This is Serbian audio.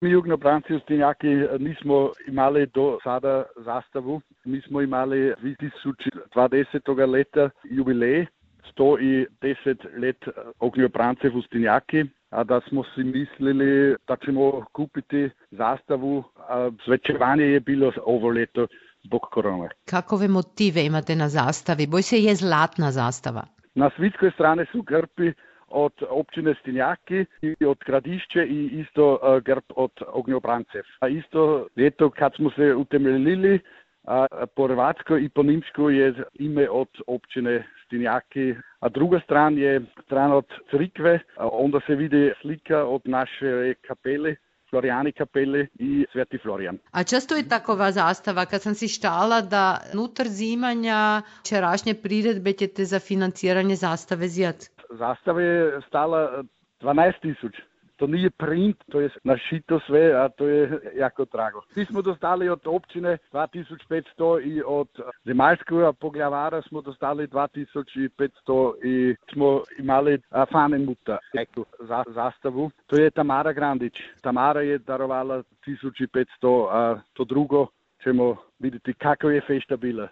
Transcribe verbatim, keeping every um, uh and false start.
Mi jugnobranci Ustinjaki nismo imali do sada zastavu. Mi smo imali dve tisoč dvadeset leta jubilej, sto deset let ognjobrancev Ustinjaki, a da smo si mislili, da ćemo kupiti zastavu, a zvečevanje je bilo ovo leto zbog korone. Kakove motive imate na zastavi? Boj se je zlatna zastava. Na svitskoj strani su grbi od općine Stinjaki i od Gradišće i isto uh, grb od ognjobrancev. A isto leto kad smo se utemeljili, a po hrvatsko i po nimšku je ime od općine Stinjaki, a druga stran je stran od crkve, a onda se vidi slika od naše kapele, Florijani kapele i Sveti Florijan. A često je takova zastava, kad sam si štala da nutar zimanja čerašnje priredbe ćete za financiranje zastave zjat. Zastava je stala dvanaest tisuća. To nije print, to je našito sve, a to je jako drago. Mi smo dostali od općine dva tisuće petsto i od zemaljskog poglavara smo dostali dva tisuće petsto i smo imali fanemuta, eto, za, zastavu. To je Tamara Grandić. Tamara je darovala tisuću petsto, a to drugo ćemo vidjeti kako je fešta bila.